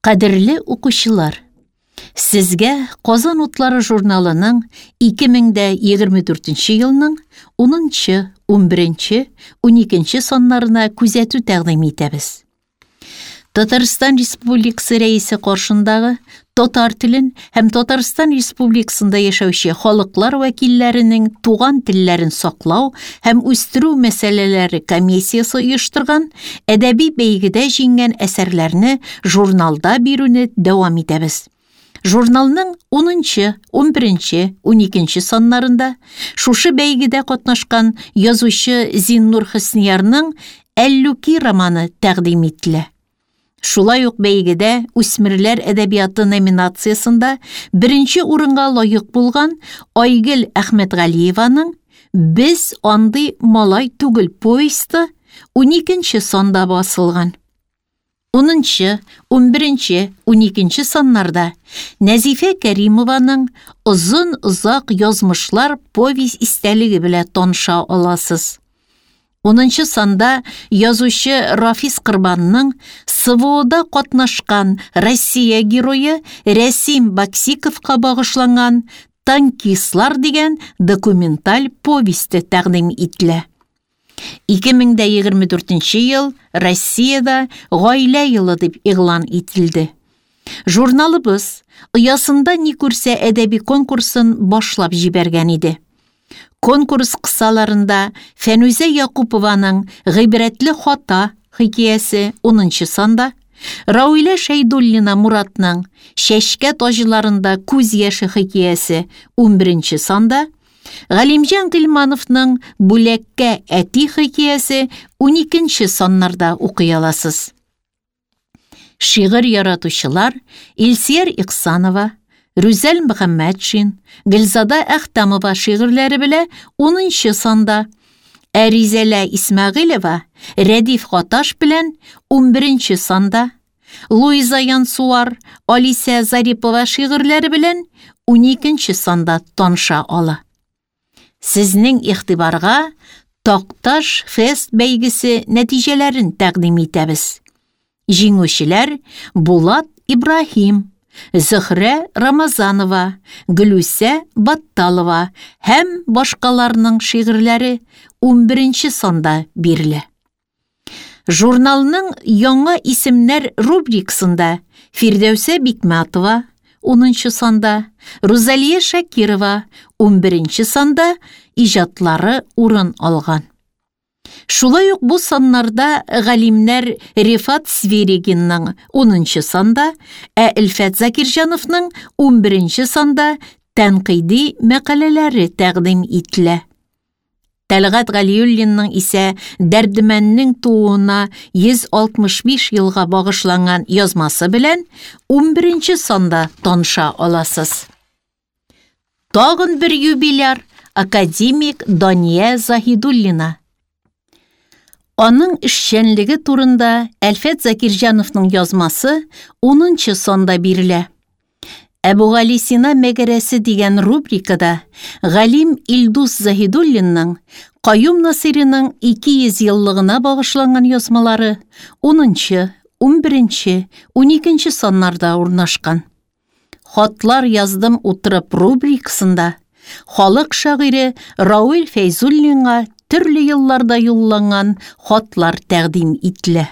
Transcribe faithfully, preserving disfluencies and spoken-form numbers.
Кадерле укучылар, сезгә Казан утлары журналының ике мең дә егерме дүртенче елның унынчы, унберенче, уникенче саннарына күзәтү тәкъдим итәбез. Татарстан Республикасы Рәисе каршындагы татар телен һәм Татарстан Республикасында яшәүче халыклар вәкилләренең туган телләрен саклау һәм үстерү мәсьәләләре комиссиясе оештырган әдәби бәйгедә җиңгән әсәрләрне журналда бирүне дәвам итәбез. Журналның унынчы, унберенче, уникенче саннарында шушы бәйгедә катнашкан язучы Зиннур Хөсниярның Әллүки романы тәкъдим ителә. Шулай ук бәйгедә үсмерләр әдәбияты номинациясендә беренче урынга лаек булган Айгөл Әхмәтгалиеваның Без андый малай түгел повесте уникенче санда басылган. Унынчы, унберенче, уникенче саннарда Нәзифә Кәримованың Озын-озак язмышлар повесть истәлеге белән таныша аласыз. Унынчы санда язучы Рафис Корбанның СВОда катнашкан Россия герое Рәсим Баксиковка багышланган Танкистлар дигән документаль повесте тәкъдим ителә. Ике мең дә егерме дүртенче ел Россиядә гаилә елы дип игълан ителде. Журналыбыз оясында ни күрсә әдәби конкурсын башлап җибәргән иде. Конкурс кысаларында Фәнүзә Якупованың Гыйбрәтле хата хикәясе унынчы санда, Рауилә Шәйдуллина Муратның Чәчкә таҗларында күз яше хикәясе унберенче санда, Галимҗан Гыйльмановның Бүләккә әти хикәясе уникенче саннарда укый аласыз. Шигырь яратучылар Илсияр Ихсанова, Рүзәл Мөхәммәтшин, Гөлзада Әхтәмова шигырьләре белән унынчы санда, ә Ризәлә Исмәгыйлева Рәдиф Гаташ белән унберенче санда, Луиза Янсуар, Алисә Зарипова шигырьләре белән уникенче санда таныша ала. Сезнең игътибарга Такташ фест бәйгесе нәтиҗәләрен тәкъдим итәбез. Җиңүчеләр Булат Ибраһим, Зөһрә Рамазанова, Гөлүсә Батталова һәм башкаларның шигырьләре унберенче санда бирелә. Журналның яңа исемнәр рубрикасында Фирдәүсә Бикмәтова унынчы санда, Рузалия Шакирова унберенче санда иҗатлары урын алган. Шулай ук бу саннарда галимнәр Рифат Свиригинның унынчы санда, ә Әлфәт Закирҗановның унберенче санда тәнкыйди мәкаләләре тәкъдим ителә. Тәлгать Галиуллинның исә Дәрдемәннең тууына йөз алтмыш биш елга багышланган язмасы белән унберенче санда таныша аласыз. Тагын бер юбиляр академик Дания Заһидуллина. Аның эшчәнлеге турында Әлфәт Закирҗановның язмасы унынчы санда бирелә. Әбүгалисина мәгәрәсе дигән рубрикада галим Илдус Заһидуллинның Каюм Насыйриның ике йөз еллыгына багышланган язмалары унынчы, унберенче, уникенче саннарда урнашкан. Хатлар яздым утырып рубрикасында халык шагыйре Рауил Фәйзуллинга төрле елларда юлланган хатлар тәкъдим ителә.